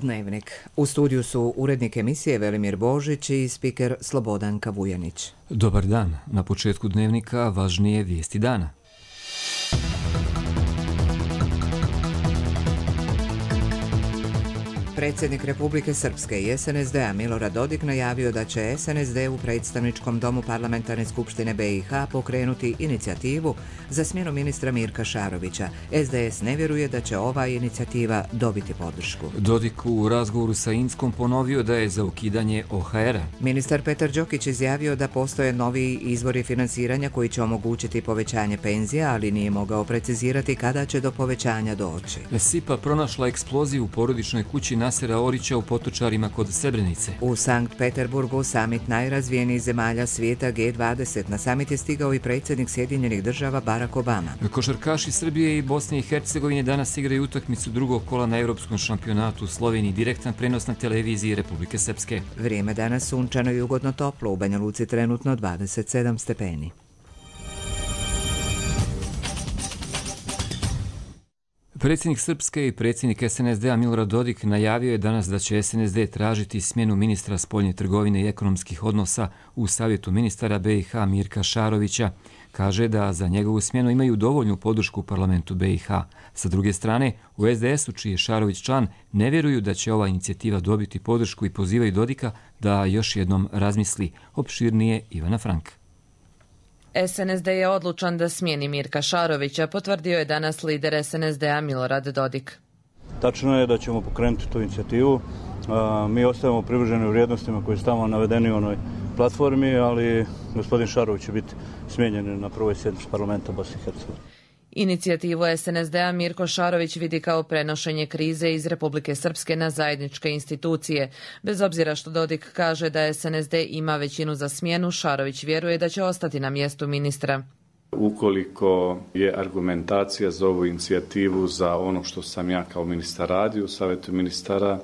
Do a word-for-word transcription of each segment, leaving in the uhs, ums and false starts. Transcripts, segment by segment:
Dnevnik. U studiju su urednik emisije Velimir Božić i spiker Slobodanka Vujanić. Dobar dan. Na početku Dnevnika važnije vijesti dana. Predsjednik Republike Srpske i S N S D-a Milorad Dodik najavio da će S N S D u predstavničkom domu Parlamentarne skupštine B i H pokrenuti inicijativu za smjenu ministra Mirka Šarovića. S D S ne vjeruje da će ova inicijativa dobiti podršku. Dodik u razgovoru sa Inskom ponovio da je za ukidanje O H R-a. Ministar Petar Đokić izjavio da postoje novi izvori finansiranja koji će omogućiti povećanje penzija, ali nije mogao precizirati kada će do povećanja doći. S I P A pronašla eksploziju u porodičnoj kući Nasera Orića u Potočarima kod Srebrenice. U Sankt Peterburgu samit najrazvijenijih zemalja svijeta G dvadeset. Na samit je stigao i predsjednik Sjedinjenih država Barack Obama. Košarkaši Srbije i Bosne i Hercegovine danas igraju utakmicu drugog kola na Europskom šampionatu u Sloveniji. Direktan prenos na televiziji Republike Srpske. Vrijeme danas sunčano i ugodno toplo. U Banja Luci trenutno dvadeset sedam stepeni. Predsjednik Srpske i predsjednik S N S D-a Milorad Dodik najavio je danas da će S N S D tražiti smjenu ministra spoljne trgovine i ekonomskih odnosa u Savjetu ministara B i H Mirka Šarovića. Kaže da za njegovu smjenu imaju dovoljnu podršku u parlamentu B i H. Sa druge strane, u S D S-u, čiji je Šarović član, ne vjeruju da će ova inicijativa dobiti podršku i pozivaju Dodika da još jednom razmisli. Opširnije Ivana Frank. S N S D je odlučan da smijeni Mirka Šarovića, potvrdio je danas lider S N S D-a Milorad Dodik. Tačno je da ćemo pokrenuti tu inicijativu. Mi ostajemo privrženi vrijednostima koje su tamo navedeni u onoj platformi, ali gospodin Šarović će biti smijenjen na prvoj sjednici parlamenta Bosne i Hercegovine. Inicijativu S N S D-a Mirko Šarović vidi kao prenošenje krize iz Republike Srpske na zajedničke institucije. Bez obzira što Dodik kaže da S N S D ima većinu za smjenu, Šarović vjeruje da će ostati na mjestu ministra. Ukoliko je argumentacija za ovu inicijativu za ono što sam ja kao ministar radio u Savjetu ministara,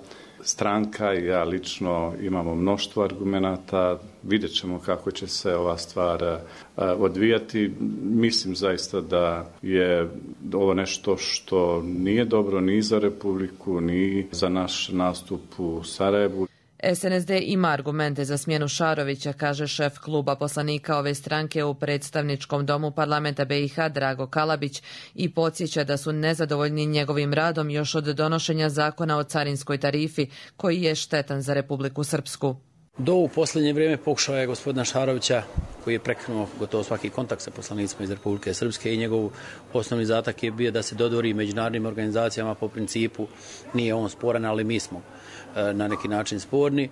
stranka i ja lično imamo mnoštvo argumenata, vidjet ćemo kako će se ova stvar odvijati. Mislim zaista da je ovo nešto što nije dobro ni za Republiku, ni za naš nastup u Sarajevu. S N S D ima argumente za smjenu Šarovića, kaže šef kluba poslanika ove stranke u predstavničkom domu parlamenta B i H Drago Kalabić i podsjeća da su nezadovoljni njegovim radom još od donošenja zakona o carinskoj tarifi, koji je štetan za Republiku Srpsku. Do u posljednje vrijeme pokušao je gospodina Šarovića, koji je prekinuo gotovo svaki kontakt sa poslanicima iz Republike Srpske, i njegov osnovni zatak je bio da se dodvori međunarodnim organizacijama po principu nije on sporan, ali mi smo na neki način sporni,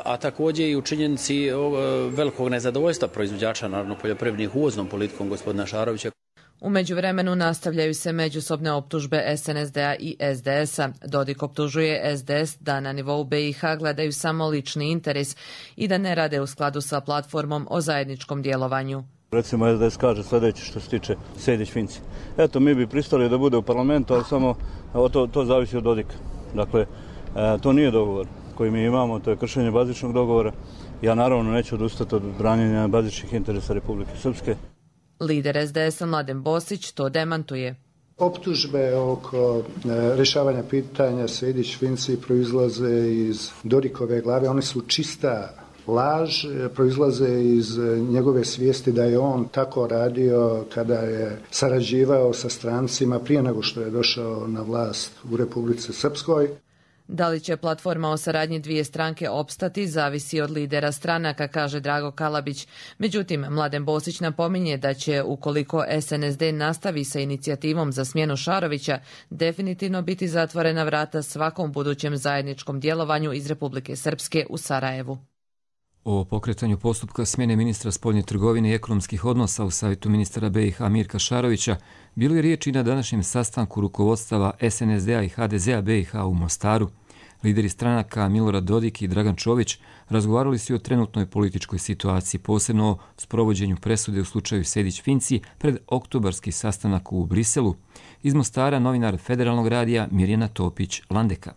a također i u činjenici velikog nezadovoljstva proizvođača, naravno poljoprivrednih, uvoznom politikom gospodina Šarovića. U međuvremenu nastavljaju se međusobne optužbe S N S D-a i S D S-a. Dodik optužuje S D S da na nivou B i H gledaju samo lični interes i da ne rade u skladu sa platformom o zajedničkom djelovanju. Recimo S D S kaže sljedeće što se tiče Sejdić-Finci. Eto, mi bi pristali da bude u parlamentu, ali samo to, to zavisi od Dodika. Dakle, to nije dogovor koji mi imamo, to je kršenje bazičnog dogovora. Ja naravno neću odustati od branjenja bazičnih interesa Republike Srpske. Lider S D S-a Mladen Bosić to demantuje. Optužbe oko rješavanja pitanja Sejdić-Finci proizlaze iz Dodikove glave. One su čista laž, proizlaze iz njegove svijesti da je on tako radio kada je sarađivao sa strancima prije nego što je došao na vlast u Republici Srpskoj. Da li će platforma o saradnji dvije stranke opstati, zavisi od lidera stranaka, kaže Drago Kalabić. Međutim, Mladen Bosić napominje da će, ukoliko S N S D nastavi sa inicijativom za smjenu Šarovića, definitivno biti zatvorena vrata svakom budućem zajedničkom djelovanju iz Republike Srpske u Sarajevu. O pokretanju postupka smjene ministra spoljne trgovine i ekonomskih odnosa u Savjetu ministara B i H Mirka Šarovića bilo je riječi na današnjem sastanku rukovodstava S N S D-a i H D Z-a B i H u Mostaru. Lideri stranaka Milorad Dodik i Dragan Čović razgovarali su o trenutnoj političkoj situaciji, posebno o sprovođenju presude u slučaju Sejdić-Finci pred oktobarski sastanak u Briselu. Iz Mostara novinar Federalnog radija Mirjana Topić-Landeka.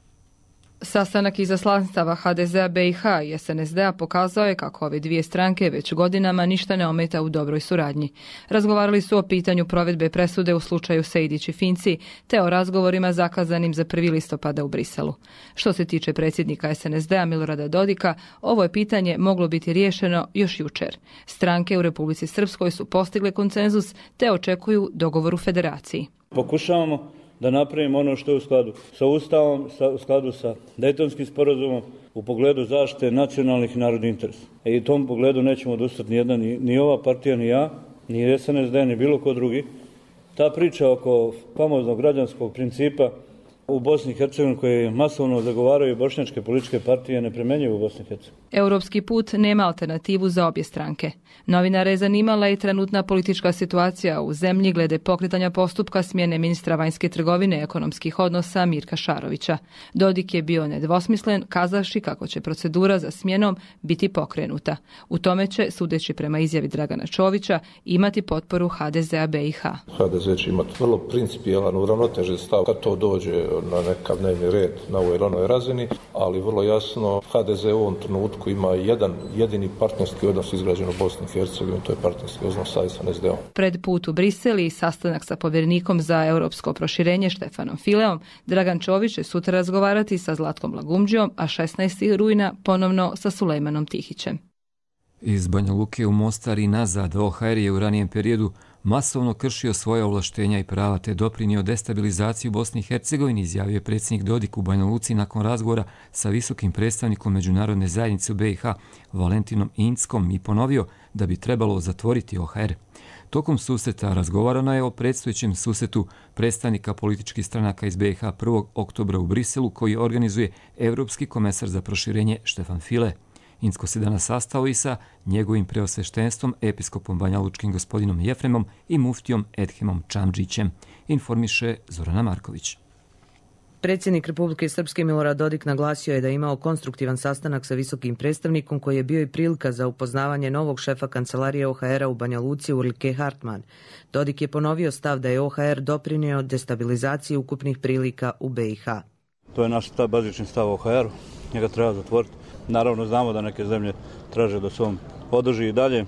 Sastanak izaslanstava ha de zea be i ha i es en es de a pokazao je kako ove dvije stranke već godinama ništa ne ometa u dobroj suradnji. Razgovarali su o pitanju provedbe presude u slučaju Sejdić i Finci, te o razgovorima zakazanim za prvi listopada u Briselu. Što se tiče predsjednika es en es de a Milorada Dodika, ovo je pitanje moglo biti riješeno još jučer. Stranke u Republici Srpskoj su postigle konsenzus te očekuju dogovor u federaciji. Pokušavamo da napravimo ono što je u skladu sa Ustavom, sa, u skladu sa Dejtonskim sporazumom u pogledu zaštite nacionalnih i narodnih interesa. I u tom pogledu nećemo odustati ni jedna, ni, ni ova partija, ni ja, ni es en es de, ni bilo ko drugi. Ta priča oko famoznog građanskog principa u Bosni i Hercegovini koje masovno zagovaraju bošnjačke političke partije ne primjenjuju u Bosni i Hercegovini. Europski put nema alternativu za obje stranke. Novinare je zanimala i trenutna politička situacija u zemlji glede pokretanja postupka smjene ministra vanjske trgovine i ekonomskih odnosa Mirka Šarovića. Dodik je bio nedvosmislen, kazavši kako će procedura za smjenom biti pokrenuta. U tome će, sudeći prema izjavi Dragana Čovića, imati potporu ha de zea be i ha. ha de ze će imati vrlo principijelan, uravnotežen stav kad to dođe na nekav dnevni red na ovoj ili onoj razini, ali vrlo jasno ha de ze u ovom trenutku ima jedan jedini partnerski odnos izgrađen u Bosni i Hercegovini, to je partnerski odnos sa es en es de om. Pred put u Brisel i sastanak sa povjerenikom za europsko proširenje Štefanom Fileom, Dragan Čović će sutra razgovarati sa Zlatkom Lagumđijom, a šesnaestog rujna ponovno sa Sulejmanom Tihićem. Iz Banja Luke u Mostar i nazad o ha er je u ranijem periodu masovno kršio svoje ovlaštenja i prava te doprinio destabilizaciju Bosni i Hercegovini, izjavio je predsjednik Dodik u Banja Luci nakon razgovora sa visokim predstavnikom međunarodne zajednice u be i ha Valentinom Inckom i ponovio da bi trebalo zatvoriti o ha er. Tokom susreta razgovarano je o predstojećem susretu predstavnika političkih stranaka iz be i ha prvog oktobra u Briselu koji organizuje Evropski komesar za proširenje Štefan File. Incko se danas sastao i sa njegovim preosveštenstvom, episkopom banjalučkim gospodinom Jefremom i muftijom Edhemom Čamdžićem, informiše Zorana Marković. Predsjednik Republike Srpske Milorad Dodik naglasio je da je imao konstruktivan sastanak sa visokim predstavnikom koji je bio i prilika za upoznavanje novog šefa kancelarije o ha era u Banja Luci Urlike Hartman. Dodik je ponovio stav da je o ha er doprinio destabilizaciji ukupnih prilika u be i ha. To je naš stav, bazični stav o ha eru, njega treba zatvoriti. Naravno znamo da neke zemlje traže da se on održi i dalje.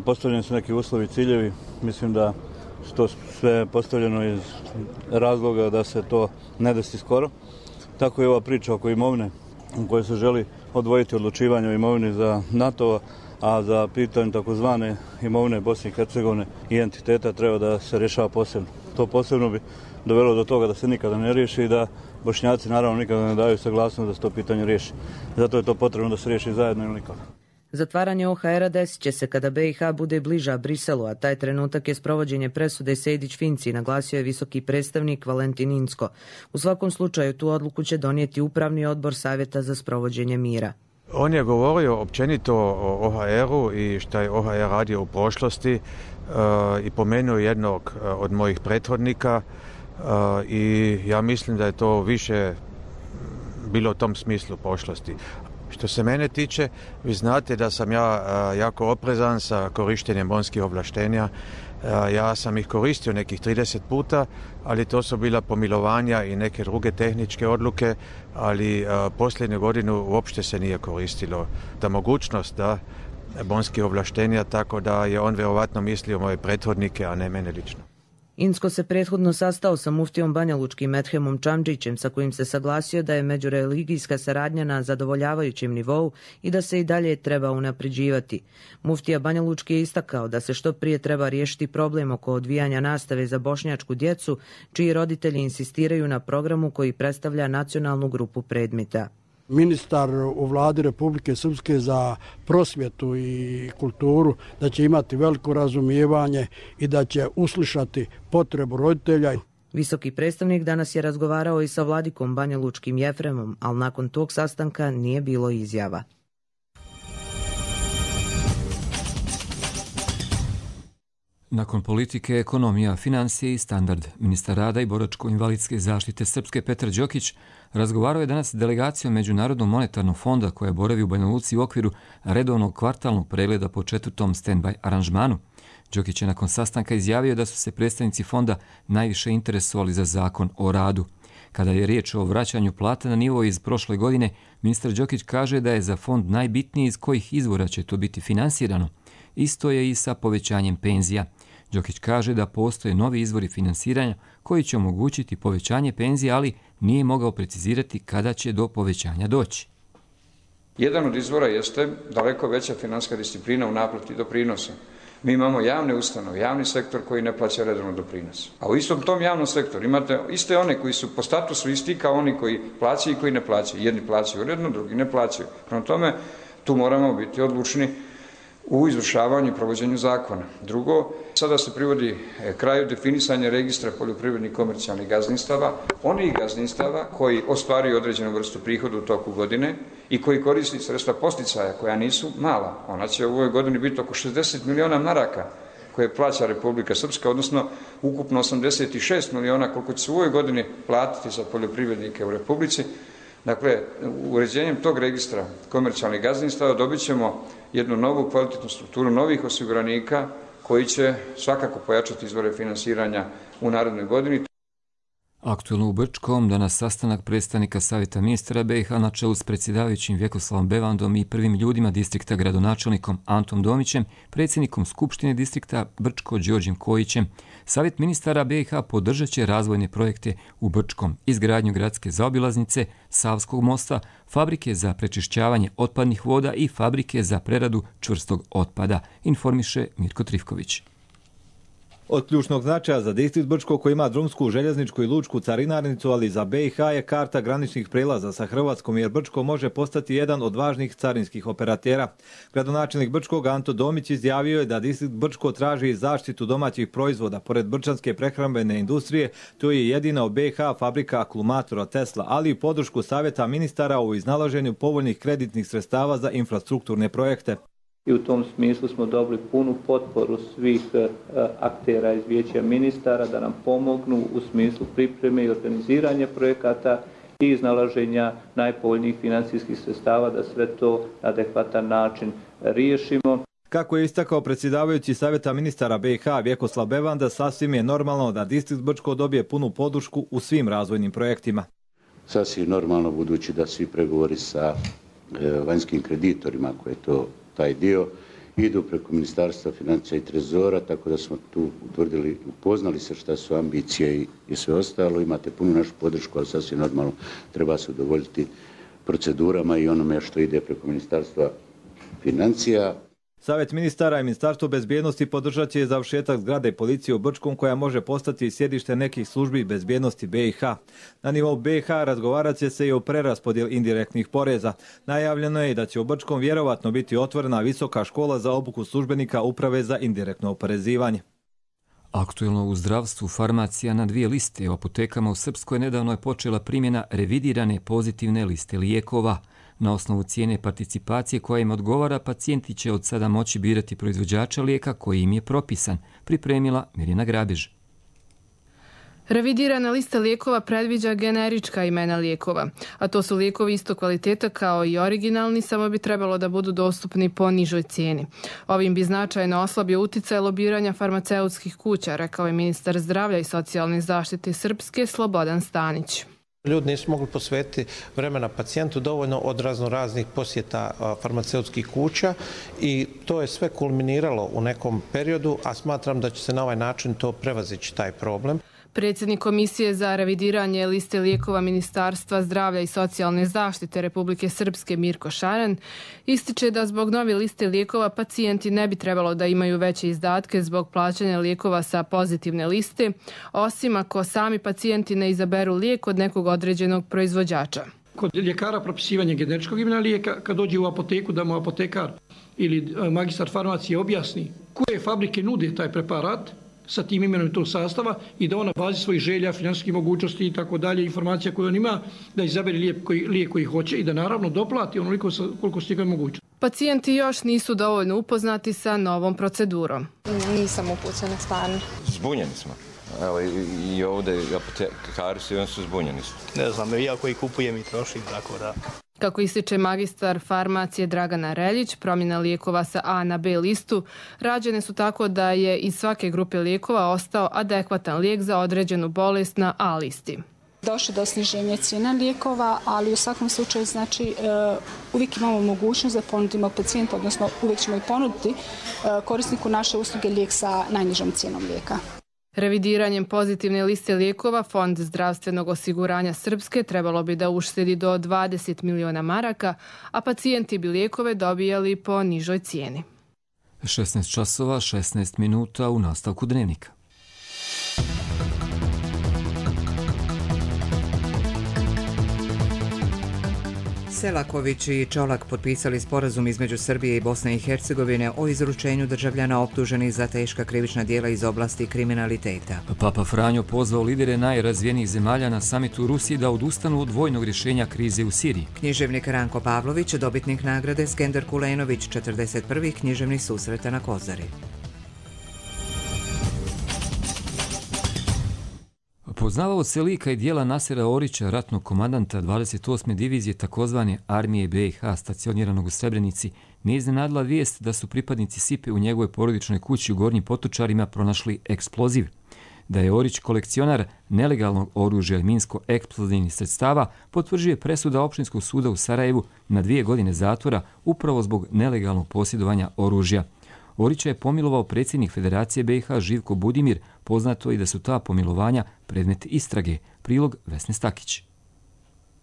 Postavljeni su neki uslovi i ciljevi. Mislim da su to sve postavljeno iz razloga da se to ne desi skoro. Tako je ova priča oko imovine u kojoj se želi odvojiti odlučivanje o imovini za NATO, a za pitanje takozvane imovine Bosne i Hercegovine i entiteta treba da se rješava posebno. To posebno bi dovelo do toga da se nikada ne riješi i da Bošnjaci naravno nikada ne daju saglasnost da se to pitanje riješi. Zato je to potrebno da se riješi zajedno ili nikada. Zatvaranje o ha era desit će se kada be i ha bude bliža Briselu, a taj trenutak je sprovođenje presude Sejdić-Finci, naglasio je visoki predstavnik Valentin Incko. U svakom slučaju tu odluku će donijeti upravni odbor Savjeta za sprovođenje mira. On je govorio općenito o o ha eru i šta je o ha er radio u prošlosti uh, i pomenuo jednog uh, od mojih prethodnika uh, i ja mislim da je to više bilo u tom smislu prošlosti. Što se mene tiče, vi znate da sam ja uh, jako oprezan sa korištenjem bonskih ovlaštenja. Uh, ja sam ih koristio nekih trideset puta, ali to su bila pomilovanja i neke druge tehničke odluke, ali uh, posljednju godinu uopšte se nije koristilo ta mogućnost da bonskih ovlaštenja, tako da je on vjerovatno mislio moje prethodnike, a ne mene lično. Incko se prethodno sastao sa muftijom banjalučkim Edhemom Čamdžićem, sa kojim se saglasio da je međureligijska saradnja na zadovoljavajućem nivou i da se i dalje treba unapređivati. Muftija Banjalučki je istakao da se što prije treba riješiti problem oko odvijanja nastave za bošnjačku djecu, čiji roditelji insistiraju na programu koji predstavlja nacionalnu grupu predmeta. Ministar u vladi Republike Srpske za prosvjetu i kulturu da će imati veliko razumijevanje i da će uslišati potrebu roditelja. Visoki predstavnik danas je razgovarao i sa vladikom Banjalučkim Jefremom, ali nakon tog sastanka nije bilo izjava. Nakon politike, ekonomija, financije i standard, ministar rada i boračko-invalidske zaštite Srpske Petar Đokić razgovarao je danas s delegacijom Međunarodnog monetarnog fonda koja boravi u Banja Luci u okviru redovnog kvartalnog pregleda po četvrtom stand-by aranžmanu. Đokić je nakon sastanka izjavio da su se predstavnici fonda najviše interesovali za zakon o radu. Kada je riječ o vraćanju plata na nivo iz prošle godine, ministar Đokić kaže da je za fond najbitniji iz kojih izvora će to biti finansirano. Isto je i sa povećanjem penzija. Đokić kaže da postoje novi izvori finansiranja koji će omogućiti povećanje penzija, ali nije mogao precizirati kada će do povećanja doći. Jedan od izvora jeste daleko veća financijska disciplina u naplati doprinosa. Mi imamo javne ustanove, javni sektor koji ne plaća redovno doprinos. A u istom tom javnom sektoru imate iste one koji su po statusu isti kao oni koji plaćaju i koji ne plaćaju. Jedni plaćaju uredno, drugi ne plaćaju. Prema tome, tu moramo biti odlučni u izvršavanju i provođenju zakona. Drugo, sada se privodi kraju definisanja registra poljoprivrednih komercijalnih gazdinstava, onih gazdinstava koji ostvaruju određenu vrstu prihoda u toku godine i koji koristi sredstva posticaja koja nisu mala. Ona će u ovoj godini biti oko šezdeset miliona maraka koje plaća Republika Srpska, odnosno ukupno osamdeset šest miliona koliko će se u ovoj godini platiti za poljoprivrednike u Republici. Dakle, uređenjem tog registra komercijalnih gazdinstava dobit ćemo jednu novu kvalitetnu strukturu novih osiguranika koji će svakako pojačati izvore finansiranja u narednoj godini. Aktuelno u Brčkom danas sastanak predstavnika Savjeta ministara B i H na čelu s predsjedavajućim Vjekoslavom Bevandom i prvim ljudima distrikta gradonačelnikom Antom Domićem, predsjednikom Skupštine distrikta Brčko Đorđem Kojićem. Savjet ministara B i H podržat će razvojne projekte u Brčkom, izgradnju gradske zaobilaznice, Savskog mosta, fabrike za prečišćavanje otpadnih voda i fabrike za preradu čvrstog otpada, informiše Mirko Trifković. Od ključnog značaja za distrikt Brčko koji ima drumsku, željezničku i lučku carinarnicu, ali za B i H je karta graničnih prelaza sa Hrvatskom jer Brčko može postati jedan od važnih carinskih operatera. Gradonačelnik Brčkog Anto Domić izjavio je da distrikt Brčko traži zaštitu domaćih proizvoda. Pored brčanske prehrambene industrije, to je jedina u B i H fabrika akumulatora Tesla, ali i podršku Savjeta ministara u iznalaženju povoljnih kreditnih sredstava za infrastrukturne projekte. I u tom smislu smo dobili punu potporu svih aktera iz Vijeća ministara da nam pomognu u smislu pripreme i organiziranja projekata i iznalaženja najpovoljnijih financijskih sredstava da sve to na adekvatan način riješimo. Kako je istakao predsjedavajući Savjeta ministara B i H Vjekoslav Bevanda, sasvim je normalno da distrikt Brčko dobije punu podršku u svim razvojnim projektima. Sasvim normalno budući da svi pregovori sa vanjskim kreditorima koje to taj dio idu preko Ministarstva financija i Trezora, tako da smo tu utvrdili, upoznali se šta su ambicije i, i sve ostalo. Imate punu našu podršku, ali sasvim normalno treba se udovoljiti procedurama i onome što ide preko Ministarstva financija. Savjet ministara i Ministarstvo bezbjednosti podržat će završetak zgrade policije u Brčkom koja može postati sjedište nekih službi bezbjednosti B i H. Na nivou B i H razgovarat će se i o preraspodjeli indirektnih poreza. Najavljeno je da će u Brčkom vjerovatno biti otvorena visoka škola za obuku službenika uprave za indirektno oporezivanje. Aktuelno u zdravstvu farmacija na dvije liste. U apotekama u Srpskoj nedavno je počela primjena revidirane pozitivne liste lijekova. Na osnovu cijene participacije koja im odgovara, pacijenti će od sada moći birati proizvođača lijeka koji im je propisan, pripremila Mirjana Grabež. Revidirana lista lijekova predviđa generička imena lijekova, a to su lijekovi isto kvaliteta kao i originalni, samo bi trebalo da budu dostupni po nižoj cijeni. Ovim bi značajno oslabio uticaj lobiranja farmaceutskih kuća, rekao je ministar zdravlja i socijalne zaštite Srpske Slobodan Stanić. Ljudi nisu mogli posvetiti vremena pacijentu dovoljno od razno raznih posjeta farmaceutskih kuća i to je sve kulminiralo u nekom periodu, a smatram da će se na ovaj način to prevazići taj problem. Predsjednik Komisije za revidiranje liste lijekova Ministarstva zdravlja i socijalne zaštite Republike Srpske Mirko Šaren ističe da zbog nove liste lijekova pacijenti ne bi trebalo da imaju veće izdatke zbog plaćanja lijekova sa pozitivne liste, osim ako sami pacijenti ne izaberu lijek od nekog određenog proizvođača. Kod ljekara propisivanje generičkog imena lijeka, kad dođe u apoteku da mu apotekar ili magistar farmacije objasni koje fabrike nude taj preparat, sa tim imenom tog sastava i da on na bazi svojih želja, financijskih mogućnosti i tako dalje, informacija koju on ima, da izabere lijek koji, lijek koji hoće i da naravno doplati onoliko koliko se njegove moguće. Pacijenti još nisu dovoljno upoznati sa novom procedurom. Nisam upućena stvarno. Zbunjeni smo. Evo i, i ovdje apotekari su, oni su zbunjeni. Ne znam, ja koji kupujem i trošim, tako da... Kako ističe magistar farmacije Dragana Reljić, promjena lijekova sa A na B listu rađene su tako da je iz svake grupe lijekova ostao adekvatan lijek za određenu bolest na A listi. Došlo do sniženja cijena lijekova, ali u svakom slučaju znači uvijek imamo mogućnost da ponudimo pacijentu, odnosno uvijek ćemo i ponuditi korisniku naše usluge lijek sa najnižom cijenom lijeka. Revidiranjem pozitivne liste lijekova Fond zdravstvenog osiguranja Srpske trebalo bi da uštedi do dvadeset miliona maraka, a pacijenti bi lijekove dobijali po nižoj cijeni. šesnaest časova, šesnaest minuta u nastavku dnevnika. Selaković i Čolak potpisali sporazum između Srbije i Bosne i Hercegovine o izručenju državljana optuženih za teška krivična djela iz oblasti kriminaliteta. Papa Franjo pozvao lidere najrazvijenijih zemalja na samitu u Rusiji da odustanu od vojnog rješenja krize u Siriji. Književnik Ranko Pavlović, dobitnik nagrade Skender Kulenović, četrdeset prvih književnih susreta na Kozari. Poznavao se lika i dijela Nasera Orića, ratnog komandanta dvadeset osme divizije takozvane armije B i H stacioniranog u Srebrenici, ne iznenadila vijest da su pripadnici Sipe u njegovoj porodičnoj kući u Gornjim Potočarima pronašli eksploziv. Da je Orić kolekcionar nelegalnog oružja i minsko-eksplozivnih sredstava potvrđuje presuda Opštinskog suda u Sarajevu na dvije godine zatvora upravo zbog nelegalnog posjedovanja oružja. Orića je pomilovao predsjednik Federacije B i H Živko Budimir, poznato i da su ta pomilovanja predmet istrage. Prilog Vesne Stakić.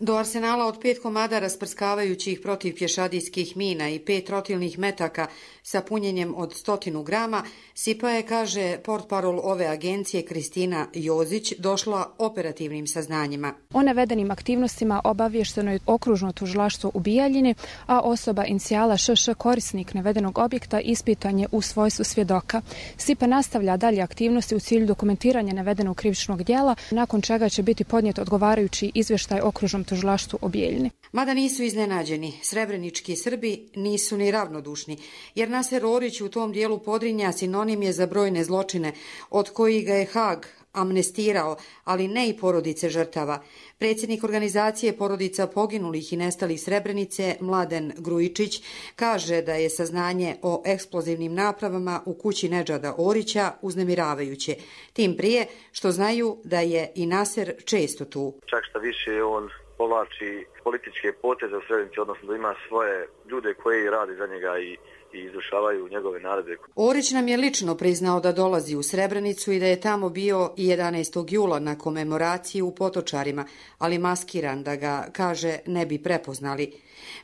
Do arsenala od pet komada rasprskavajućih protiv pješadijskih mina i pet rotilnih metaka sa punjenjem od stotinu grama, Sipa je, kaže portparol ove agencije Kristina Jozić, došla operativnim saznanjima. O navedenim aktivnostima obavješteno je okružno tužilaštvo u Bijeljini, a osoba inicijala Š Š, korisnik navedenog objekta, ispitan je u svojstvu svjedoka. Sipa nastavlja dalje aktivnosti u cilju dokumentiranja navedenog krivičnog djela, nakon čega će biti podnijet odgovarajući izvještaj okružnom tužilaštvu u Bijeljini. Mada nisu iznenađeni, srebrenički Srbi nisu ni ravnodušni, jer Naser Orić u tom dijelu Podrinja sinonim je za brojne zločine, od kojih ga je Haag amnestirao, ali ne i porodice žrtava. Predsjednik organizacije porodica poginulih i nestalih Srebrenice, Mladen Grujičić, kaže da je saznanje o eksplozivnim napravama u kući Nedžada Orića uznemiravajuće. Tim prije što znaju da je i Naser često tu. Čak šta više on povlači političke poteze u Srebrenici, odnosno da ima svoje ljude koji rade za njega i i izvršavaju njegove naredbe. Orić nam je lično priznao da dolazi u Srebrenicu i da je tamo bio i jedanaestog jula na komemoraciji u Potočarima, ali maskiran da ga, kaže, ne bi prepoznali.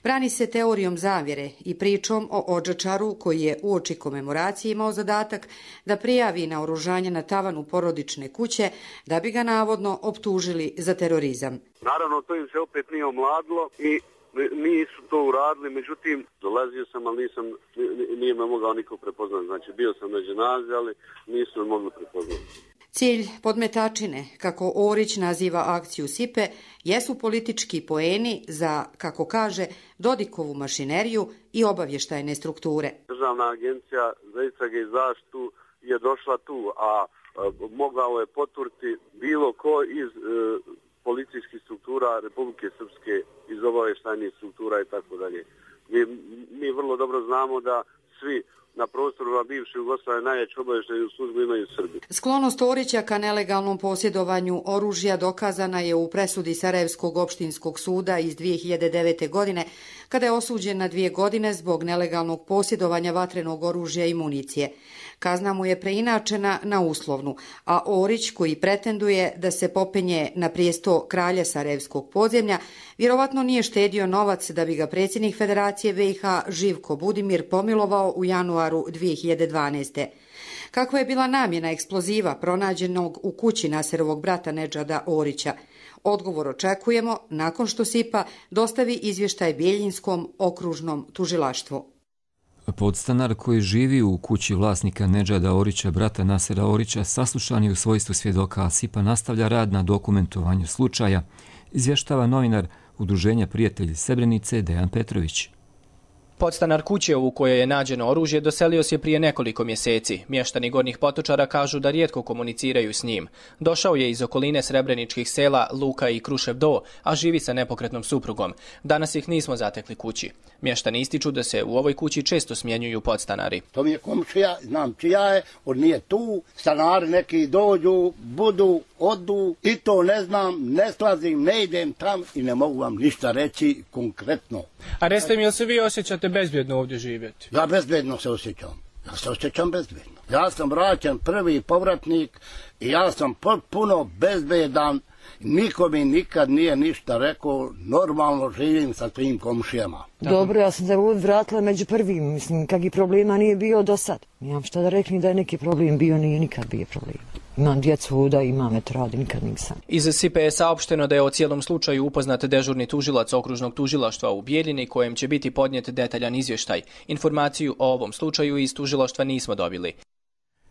Brani se teorijom zavjere i pričom o Odžačaru koji je uoči komemoracije imao zadatak da prijavi naoružanje na tavanu porodične kuće da bi ga navodno optužili za terorizam. Naravno, to im se opet nije omladilo i nisu to uradili, međutim, dolazio sam, ali nisam, nije me mogao niko prepoznati. Znači, bio sam na dženazi, ali nisu me mogli prepoznati. Cilj podmetačine, kako Orić naziva akciju Sipe, jesu politički poeni za, kako kaže, Dodikovu mašineriju i obavještajne strukture. Državna agencija za istrage i zaštitu je došla tu, a, a mogao je poturiti bilo ko iz e, policijskih struktura Republike Srpske, iz obavještajnih struktura i tako dalje. Mi, mi vrlo dobro znamo da svi na prostoru bivše Jugoslavije najjaču obavještajnu službu imaju Srbi. Sklonost Orića ka nelegalnom posjedovanju oružja dokazana je u presudi Sarajevskog opštinskog suda iz dvije hiljade devete. godine, kada je osuđen na dvije godine zbog nelegalnog posjedovanja vatrenog oružja i municije. Kazna mu je preinačena na uslovnu, a Orić, koji pretenduje da se popenje na prijesto kralja Sarajevskog podzemlja, vjerovatno nije štedio novac da bi ga predsjednik Federacije B i H Živko Budimir pomilovao u januaru dvije hiljade dvanaeste. Kakva je bila namjena eksploziva pronađenog u kući Naserovog brata Nedžada Orića? Odgovor očekujemo nakon što Sipa dostavi izvještaj Bijeljinskom okružnom tužilaštvu. Podstanar koji živi u kući vlasnika Nedžada Orića, brata Nasera Orića, saslušan je u svojstvu svjedoka, a Sipa nastavlja rad na dokumentovanju slučaja, izvještava novinar Udruženja Prijatelji Srebrenice Dejan Petrović. Podstanar kuće u kojoj je nađeno oružje doselio se prije nekoliko mjeseci. Mještani Gornjih Potočara kažu da rijetko komuniciraju s njim. Došao je iz okoline srebreničkih sela Luka i Krušev Do, a živi sa nepokretnom suprugom. Danas ih nismo zatekli kući. Mještani ističu da se u ovoj kući često smjenjuju podstanari. To mi je komšija, znam čija je, on nije tu, stanari neki dođu, budu, odu i to ne znam, ne slazim, ne idem tam i ne mogu vam ništa reći konkretno. A recite mi, jel se vi osjećate bezbjedno ovdje živjeti? Ja bezbjedno se osjećam. Ja se osjećam bezbjedno. Ja sam vraćan prvi povratnik i ja sam potpuno bezbedan. Niko mi nikad nije ništa rekao, normalno živim sa svim komšijama. Dobro, ja sam se vratila među prvim, mislim, kak i problema nije bio do sad. Nemam šta da rekli da je neki problem bio, nije nikad bio problem. Imam djecu da imam et radi, nikad nisam. Iz S I P E je saopšteno da je o cijelom slučaju upoznat dežurni tužilac okružnog tužilaštva u Bijeljini, kojem će biti podnijet detaljan izvještaj. Informaciju o ovom slučaju iz tužilaštva nismo dobili.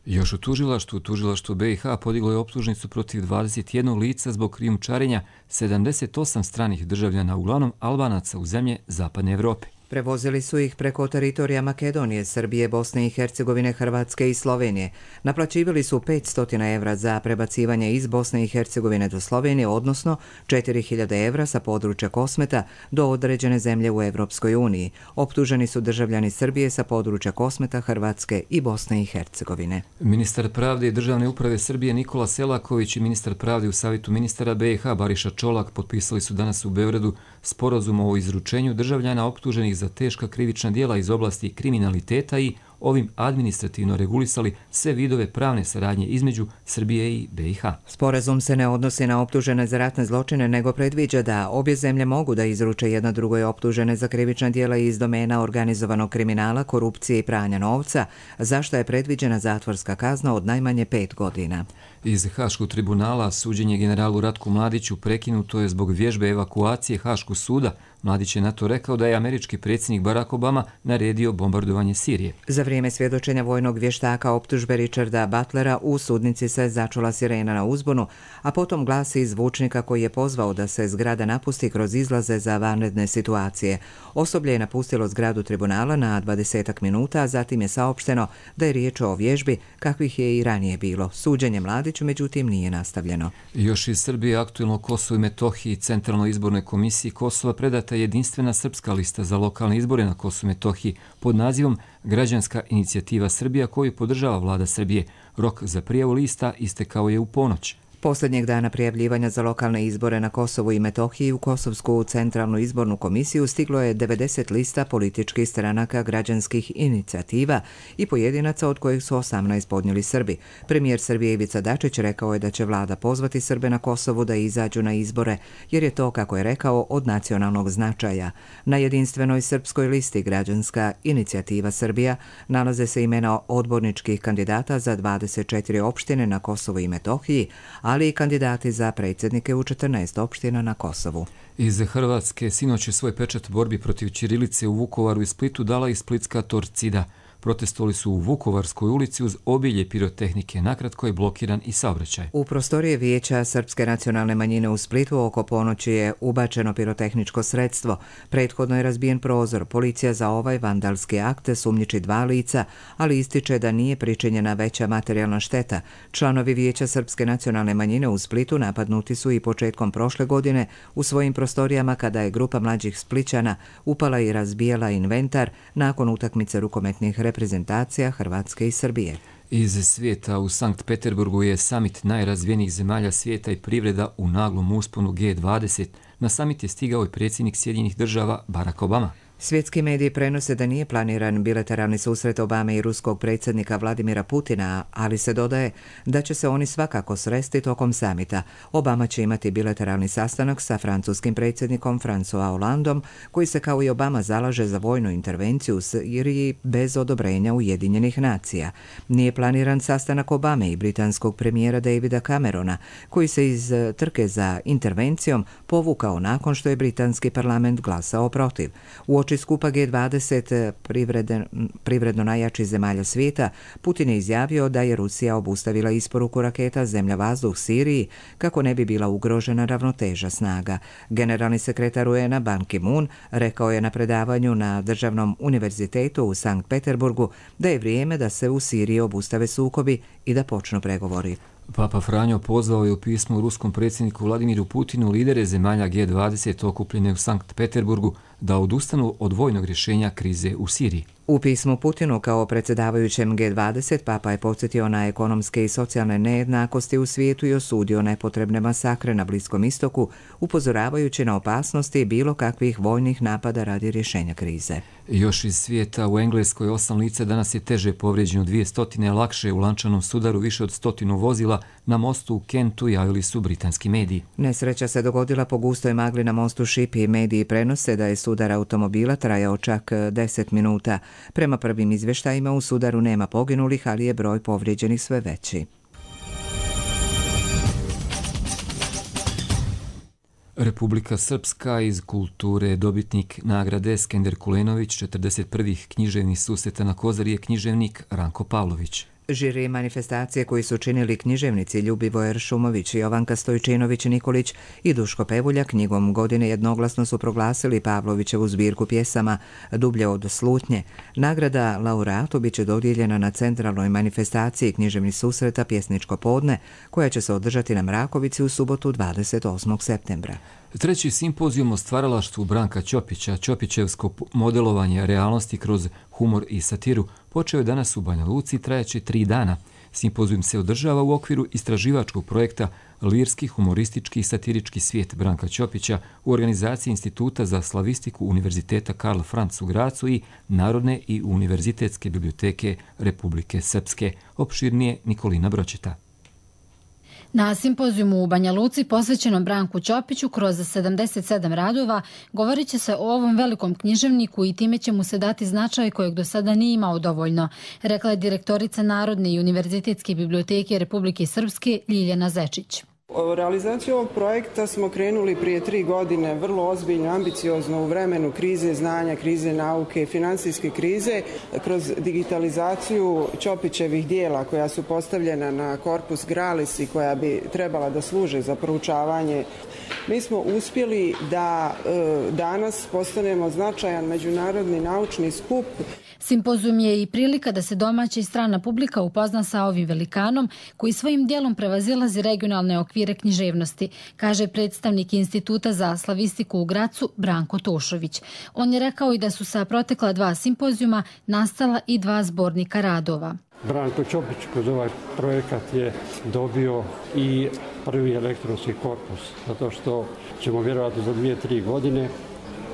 Još u tužilaštvu, tužilaštvo B i H podiglo je optužnicu protiv dvadeset jednog lica zbog krijumčarenja sedamdeset osam stranih državljana, uglavnom Albanaca, u zemlje Zapadne Evrope. Prevozili su ih preko teritorija Makedonije, Srbije, Bosne i Hercegovine, Hrvatske i Slovenije. Naplaćivali su petsto evra za prebacivanje iz Bosne i Hercegovine do Slovenije, odnosno četiri hiljade evra sa područja Kosmeta do određene zemlje u Evropskoj uniji. Optuženi su državljani Srbije sa područja Kosmeta, Hrvatske i Bosne i Hercegovine. Ministar pravde i državne uprave Srbije Nikola Selaković i ministar pravde u Savjetu ministara B i H Bariša Čolak potpisali su danas u Beogradu sporazum o izručenju državljana optuženih za teška krivična djela iz oblasti kriminaliteta i ovim administrativno regulisali sve vidove pravne saradnje između Srbije i B i H. Sporazum se ne odnosi na optužene za ratne zločine, nego predviđa da obje zemlje mogu da izruče jedna drugoj optužene za krivična djela iz domena organizovanog kriminala, korupcije i pranja novca, za što je predviđena zatvorska kazna od najmanje pet godina. Iz Haškog tribunala suđenje generalu Ratku Mladiću prekinuto je zbog vježbe evakuacije Haškog suda. Mladić je na to rekao da je američki predsjednik Barack Obama naredio bombardovanje Sirije. Za vrijeme svjedočenja vojnog vještaka optužbe Richarda Butlera u sudnici se začula sirena na uzbunu, a potom glasi iz zvučnika koji je pozvao da se zgrada napusti kroz izlaze za vanredne situacije. Osoblje je napustilo zgradu tribunala na dvadesetak minuta, a zatim je saopšteno da je riječ o vježbi kakvih je i ranije bilo. Suđenje Mladiću međutim nije nastavljeno. Još iz Srbije aktuelno Kosovo i Metohiji i Centralnoj izbornoj komisiji Kosova predata jedinstvena srpska lista za lokalne izbore na Kosovu i Metohiji pod nazivom Građanska inicijativa Srbija, koju podržava vlada Srbije. Rok za prijavu lista istekao je u ponoć. Posljednjeg dana prijavljivanja za lokalne izbore na Kosovu i Metohiji u Kosovsku centralnu izbornu komisiju stiglo je devedeset lista političkih stranaka građanskih inicijativa i pojedinaca, od kojih su osamnaest podnijeli Srbi. Premijer Srbije Ivica Dačić rekao je da će vlada pozvati Srbe na Kosovu da izađu na izbore, jer je to, kako je rekao, od nacionalnog značaja. Na jedinstvenoj srpskoj listi Građanska inicijativa Srbija nalaze se imena odborničkih kandidata za dvadeset četiri opštine na Kosovu i Metohiji, a ali i kandidati za predsjednike u četrnaest opština na Kosovu. Iz Hrvatske sinoć je svoj pečat borbi protiv ćirilice u Vukovaru i Splitu dala i splitska Torcida. Protestovali su u Vukovarskoj ulici uz obilje pirotehnike, nakratko je blokiran i saobraćaj. U prostorije Vijeća Srpske nacionalne manjine u Splitu oko ponoći je ubačeno pirotehničko sredstvo. Prethodno je razbijen prozor. Policija za ovaj vandalski akt sumnjiči dva lica, ali ističe da nije pričinjena veća materijalna šteta. Članovi Vijeća Srpske nacionalne manjine u Splitu napadnuti su i početkom prošle godine u svojim prostorijama kada je grupa mlađih Splićana upala i razbijala inventar nakon utakmice rukometnih reprezentacija reprezentacija Hrvatske i Srbije. Iz svijeta u Sankt Peterburgu je samit najrazvijenijih zemalja svijeta i privreda u naglom usponu G dvadeset. Na samit je stigao i predsjednik Sjedinjenih država Barack Obama. Svjetski mediji prenose da nije planiran bilateralni susret Obame i ruskog predsjednika Vladimira Putina, ali se dodaje da će se oni svakako sresti tokom samita. Obama će imati bilateralni sastanak sa francuskim predsjednikom François Hollandom, koji se kao i Obama zalaže za vojnu intervenciju u Siriji bez odobrenja Ujedinjenih nacija. Nije planiran sastanak Obame i britanskog premijera Davida Camerona, koji se iz trke za intervencijom povukao nakon što je britanski parlament glasao protiv. U oči skupa G dvadeset privredno, privredno najjačih zemalja svijeta, Putin je izjavio da je Rusija obustavila isporuku raketa zemlja-vazduh Siriji kako ne bi bila ugrožena ravnoteža snaga. Generalni sekretar U N A Ban Ki-moon rekao je na predavanju na Državnom univerzitetu u Sankt Peterburgu da je vrijeme da se u Siriji obustave sukobi i da počnu pregovori. Papa Franjo pozvao je u pismu ruskom predsjedniku Vladimiru Putinu lidere zemalja G dvadeset okupljene u Sankt Peterburgu da odustanu od vojnog rješenja krize u Siriji. U pismu Putinu kao predsjedavajućem G dvadeset Papa je podsjetio na ekonomske i socijalne nejednakosti u svijetu i osudio nepotrebne masakre na Bliskom istoku, upozoravajući na opasnosti bilo kakvih vojnih napada radi rješenja krize. Još iz svijeta, u Engleskoj osam lica danas je teže povrijeđeno, dvije stotine lakše u lančanom sudaru, više od stotinu vozila na mostu u Kentu, javili su britanski mediji. Nesreća se dogodila po gustoj magli na mostu Šipi i mediji prenose da je sudar automobila trajao čak deset minuta. Prema prvim izvještajima u sudaru nema poginulih, ali je broj povrijeđenih sve veći. Republika Srpska iz kulture, dobitnik nagrade Skender Kulenović, četrdeset prvih književnih susreta na Kozari je književnik Ranko Pavlović. Žiri manifestacije koji su činili književnici Ljubivoje Šumović, Jovanka Stojčinović-Nikolić i Duško Pevulja knjigom godine jednoglasno su proglasili Pavlovićevu zbirku pjesama Dublje od slutnje. Nagrada laureatu bit će dodijeljena na centralnoj manifestaciji književnih susreta Pjesničko podne, koja će se održati na Mrakovici u subotu dvadeset osmog septembra. Treći simpozijum o stvaralaštvu Branka Ćopića, Ćopićevsko modelovanje realnosti kroz humor i satiru, počeo je danas u Banja Luci, trajaće tri dana. Simpozijum se održava u okviru istraživačkog projekta Lirski, humoristički i satirički svijet Branka Ćopića u organizaciji Instituta za slavistiku Univerziteta Karl Franz u Gracu i Narodne i univerzitetske biblioteke Republike Srpske. Opširnije Nikolina Bročeta. Na simpozijumu u Banja Luci posvećenom Branku Ćopiću kroz sedamdeset sedam radova govorit će se o ovom velikom književniku i time će mu se dati značaj kojeg do sada nije imao dovoljno, rekla je direktorica Narodne i univerzitetske biblioteke Republike Srpske Ljiljana Zečić. Realizaciju ovog projekta smo krenuli prije tri godine vrlo ozbiljno, ambiciozno u vremenu krize znanja, krize nauke, financijske krize, kroz digitalizaciju Ćopićevih dijela koja su postavljena na Corpus Gralis i koja bi trebala da služe za proučavanje. Mi smo uspjeli da e, danas postanemo značajan međunarodni naučni skup. Simpozijum je i prilika da se domaća i strana publika upozna sa ovim velikanom koji svojim dijelom prevazilazi regionalne okvire književnosti, kaže predstavnik Instituta za slavistiku u Gracu Branko Tošović. On je rekao i da su sa protekla dva simpozijuma nastala i dva zbornika radova. Branko Ćopić kroz ovaj projekat je dobio i prvi elektronski korpus, zato što ćemo vjerojatno za dvije, tri godine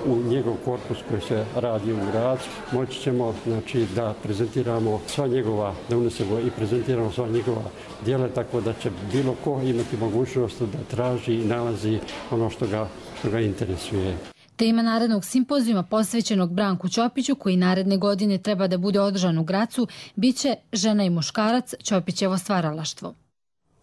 u njegov korpus koji se radi u Gracu moći ćemo znači, da prezentiramo sva njegova, da unesemo i prezentiramo sva njegova djela, tako da će bilo ko imati mogućnost da traži i nalazi ono što ga, što ga interesuje. Tema narednog simpozijuma posvećenog Branku Ćopiću, koji naredne godine treba da bude održan u Gracu, biće Žena i muškarac, Ćopićevo stvaralaštvo.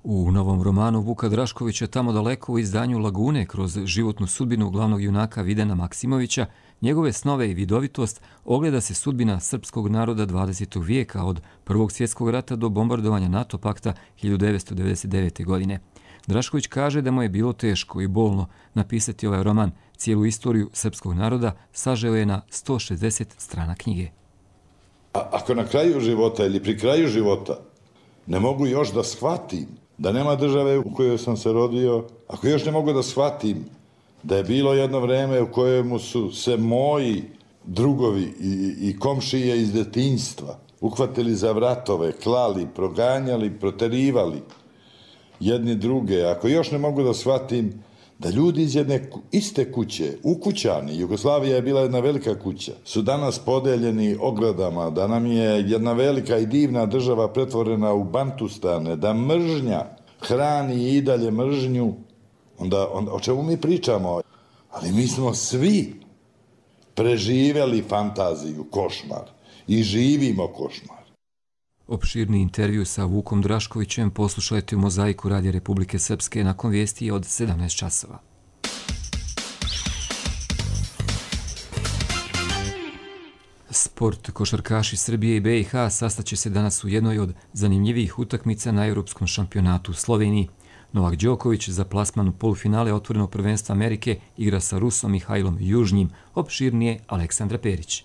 U novom romanu Vuka Draškovića Tamo daleko u izdanju Lagune kroz životnu sudbinu glavnog junaka Videna Maksimovića, njegove snove i vidovitost ogleda se sudbina srpskog naroda dvadesetog vijeka od Prvog svjetskog rata do bombardovanja NATO pakta hiljadu devetsto devedeset devete. godine. Drašković kaže da mu je bilo teško i bolno napisati ovaj roman. Cijelu istoriju srpskog naroda sažeo je na sto šezdeset strana knjige. A ako na kraju života ili pri kraju života ne mogu još da shvatim da nema države u kojoj sam se rodio, ako još ne mogu da shvatim da je bilo jedno vreme u kojemu su se moji drugovi i, i komšije iz detinjstva uhvatili za vratove, klali, proganjali, proterivali jedni druge, ako još ne mogu da shvatim da ljudi iz jedne iste kuće, ukućani, Jugoslavija je bila jedna velika kuća, su danas podeljeni ogradama, da nam je jedna velika i divna država pretvorena u bantustane, da mržnja hrani i dalje mržnju, onda, onda o čemu mi pričamo? Ali mi smo svi preživjeli fantaziju, košmar i živimo košmar. Opširni intervju sa Vukom Draškovićem poslušajte u Mozaiku Radija Republike Srpske nakon vijesti od sedamnaest časova. Sport. Košarkaši Srbije i B i H sastaće se danas u jednoj od zanimljivijih utakmica na Europskom šampionatu u Sloveniji. Novak Đoković za plasman u polufinale otvorenog prvenstva Amerike igra sa Rusom Mihajlom Južnjim. Opširnije Aleksandra Perić.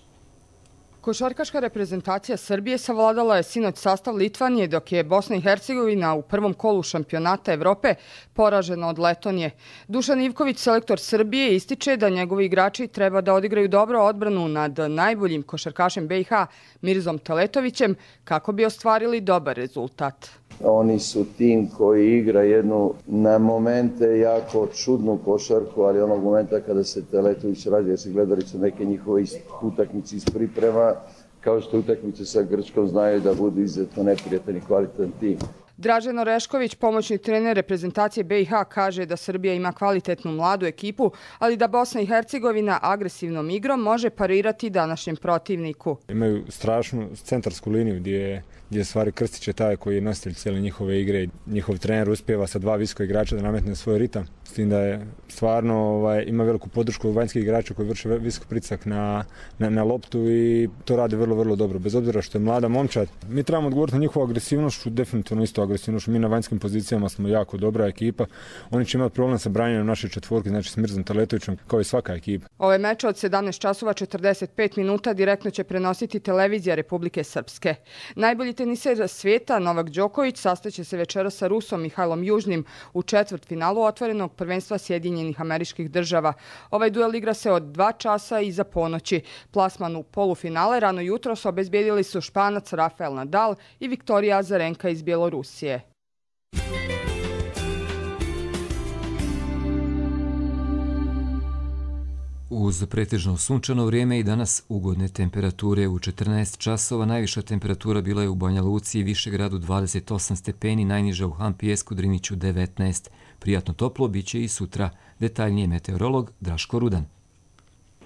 Košarkaška reprezentacija Srbije savladala je sinoć sastav Litvanije, dok je Bosna i Hercegovina u prvom kolu šampionata Evrope poražena od Letonije. Dušan Ivković, selektor Srbije, ističe da njegovi igrači treba da odigraju dobro odbranu nad najboljim košarkašem B i H Mirzom Teletovićem kako bi ostvarili dobar rezultat. Oni su tim koji igra jednu na momente jako čudnu košarku, ali onog momenta kada se Teletović radi, jer se gledali su neke njihove utakmice iz priprema, kao što utakmice sa Grčkom znaju da budu izuzetno neprijatan i kvalitetan tim. Dražen Orešković, pomoćni trener reprezentacije B i H, kaže da Srbija ima kvalitetnu mladu ekipu, ali da Bosna i Hercegovina agresivnom igrom može parirati današnjem protivniku. Imaju strašnu centarsku liniju gdje je gdje stvari Krstić je taj koji je nositelj cijele njihove igre. Njihov trener uspijeva sa dva visoka igrača da nametne svoj ritam. S tim da je stvarno ovaj, ima veliku podršku vanjskih igrača koji vrše visok pritisak na, na, na loptu i to rade vrlo, vrlo dobro. Bez obzira što je mlada momčad. Mi trebamo odgovoriti na njihovu agresivnošću, definitivno isto agresivnošću. Mi na vanjskim pozicijama smo jako dobra ekipa. Oni će imati problem sa branjenjem naše četvorke, znači s Mirzom Teletovićem, kao i svaka ekipa. Ove meče od sedamnaest časova četrdeset pet minuta direktno će prenositi televizija Republike Srpske. Najbolji teniser svijeta Novak Đoković sastaće se večeras sa Rusom Mihajlom Južnim u četvrtfinalu otvorenog prvenstva Sjedinjenih Američkih Država. Ovaj duel igra se od dva časa iza ponoći. Plasman u polufinale rano jutros obezbijedili su Španac Rafael Nadal i Viktorija Azarenka iz Bjelorusije. Uz pretežno sunčano vrijeme i danas ugodne temperature u četrnaest časova, najviša temperatura bila je u Banja Luci i Višegradu dvadeset osam stepeni, najniža u Hampijesku, Driniću devetnaest. Prijatno toplo bit će i sutra. Detaljnije meteorolog Draško Rudan.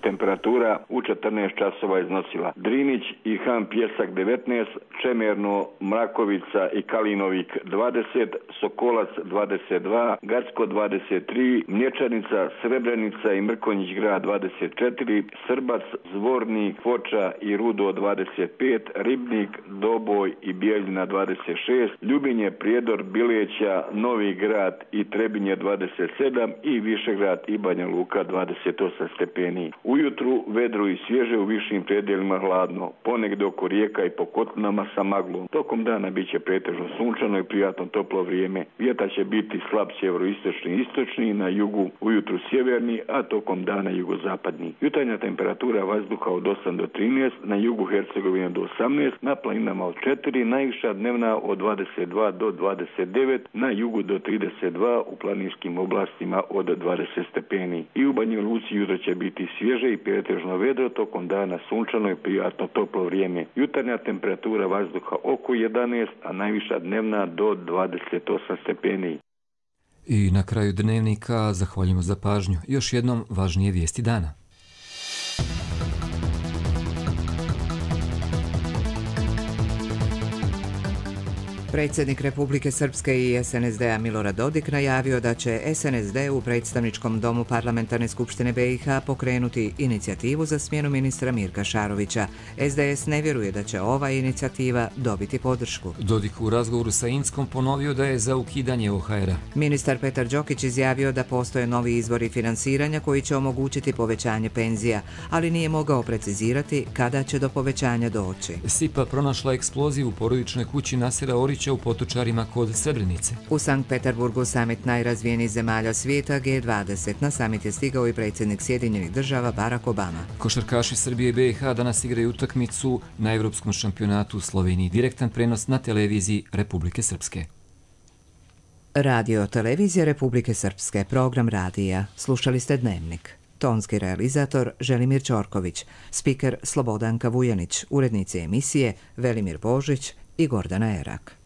Temperatura u četrnaest časova iznosila Drinić i Han Pjesak devetnaest, Čemerno, Mrakovica i Kalinovik dvadeset, Sokolac dvadeset dva, Gacko dvadeset tri, Mlječanica, Srebrenica i Mrkonjić grad dvadeset četiri, Srbac, Zvornik, Foča i Rudo dvadeset pet, Ribnik, Doboj i Bijeljina dvadeset šest, Ljubinje, Prijedor, Bileća, Novi grad i Trebinje dvadeset sedam i Višegrad i Banja Luka dvadeset osam stepeni. Ujutru vedro i svježe, u višim predjelima hladno, ponegdje oko rijeka i po kotlinama sa maglom. Tokom dana bit će pretežno sunčano i prijatno toplo vrijeme. Vjetar će biti slab sjeveroistočni i istočni, na jugu ujutru sjeverni, a tokom dana jugozapadni. Jutarnja temperatura vazduha od osam do trinaest, na jugu Hercegovine do osamnaest, na planinama od četiri, najviša dnevna od dvadeset dva do dvadeset devet, na jugu do trideset dva, u planinskim oblastima od dvadeset stepeni. I u Banja Luci jutro će biti svježe i pretežno vedro, tokom dana sunčano i prijatno toplo vrijeme. Jutarnja temperatura vazduha oko jedanaest, a najviša dnevna do dvadeset osam stepeni. I na kraju dnevnika zahvaljujemo za pažnju. Još jednom važnije vijesti dana. Predsjednik Republike Srpske i S N S D-a Milorad Dodik najavio da će S N S D u predstavničkom domu Parlamentarne skupštine B i H pokrenuti inicijativu za smjenu ministra Mirka Šarovića. S D S ne vjeruje da će ova inicijativa dobiti podršku. Dodik u razgovoru sa Inskom ponovio da je za ukidanje O H R-a. Ministar Petar Đokić izjavio da postoje novi izvori finansiranja koji će omogućiti povećanje penzija, ali nije mogao precizirati kada će do povećanja doći. SIPA pronašla eksploziju u porodičnoj kući Nasera Orića u Potočarima kod Srebrenice. U Sankt Peterburgu samit najrazvijenijih zemalja svijeta G dvadeset. Na samit je stigao i predsjednik Sjedinjenih država Barack Obama. Košarkaši Srbije i B i H danas igraju utakmicu na Evropskom šampionatu u Sloveniji. Direktan prenos na televiziji Republike Srpske. Radio televizija Republike Srpske, program radija. Slušali ste Dnevnik. Tonski realizator Želimir Ćorković, spiker Slobodanka Vujanić, urednici emisije Velimir Božić i Gordana Erak.